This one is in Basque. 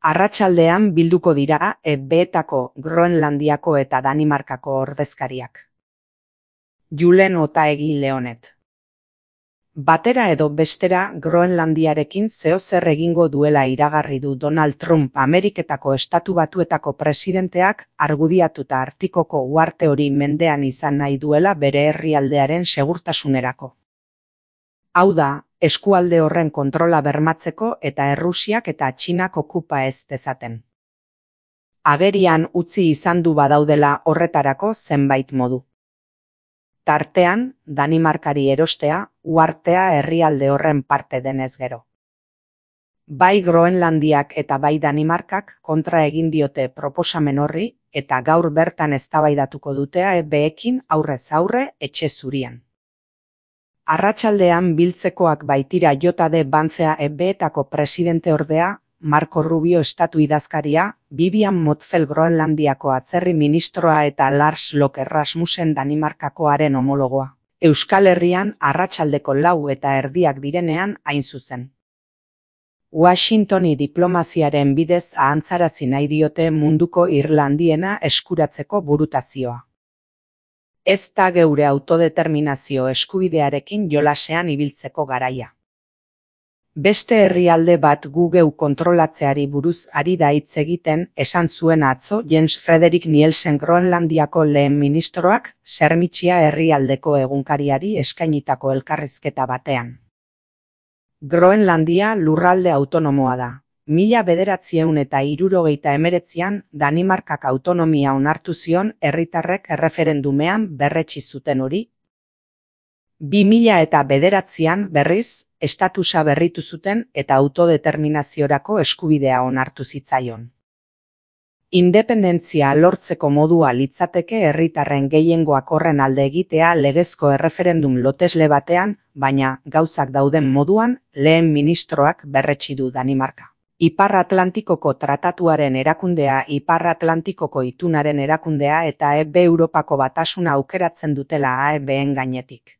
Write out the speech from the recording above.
Arratsaldean bilduko dira EB-etako Groenlandiako eta Danimarkako ordezkariak. Julen Otaegi Leonet. Batera edo bestera Groenlandiarekin zeozer egingo duela iragarri du Donald Trump Ameriketako Estatu Batuetako presidenteak argudiatuta Artikoko uharte hori mendean izan nahi duela bere herrialdearen segurtasunerako. Hau da, eskualde horren kontrola bermatzeko eta Errusiak eta Txinak okupa ez dezaten. Agerian utzi izan du badaudela horretarako zenbait modu. Tartean, Danimarkari erostea, uhartea herrialde horren parte denez gero. Bai Groenlandiak eta bai Danimarkak kontra egin diote proposamen horri eta gaur bertan eztabaidatuko dute EB-ekin aurrez aurre etxe zurian. Arratsaldean biltzekoak baitira J.D. Vance EB-etako presidenteordea, Marco Rubio estatu idazkaria, Vivian Motzfeldt Groenlandiako atzerri ministroa eta Lars Løkke Rasmussen Danimarkakoaren homologoa. Euskal Herrian arratsaldeko 4:30 direnean hain zuzen. Washingtoni diplomaziaren bidez ahantzarazi nahi diote munduko Irlandiena eskuratzeko burutazioa. Ez da geure autodeterminazio eskubidearekin jolasean ibiltzeko garaia. Beste herrialde bat gu geu kontrolatzeari buruz ari da hitz egiten, esan zuen atzo Jens Frederik Nielsen Groenlandiako lehen ministroak Sermitxia herrialdeko egunkariari eskainitako elkarrizketa batean. Groenlandia lurralde autonomoa da. 1969an Danimarkak autonomia onartu zion herritarrek erreferendumean berretsi zuten hori. 2009an berriz, estatusa berritu zuten eta autodeterminaziorako eskubidea onartu zitzaion. Independentzia lortzeko modua litzateke herritarren gehiengoak horren alde egitea legezko erreferendum lotesle batean, baina gauzak dauden moduan lehen ministroak berretsi du Danimarka. Ipar Atlantikoko Tratatuaren erakundea, Ipar Atlantikoko Itunaren erakundea eta EB Europako Batasuna aukeratzen dutela AEB-en gainetik.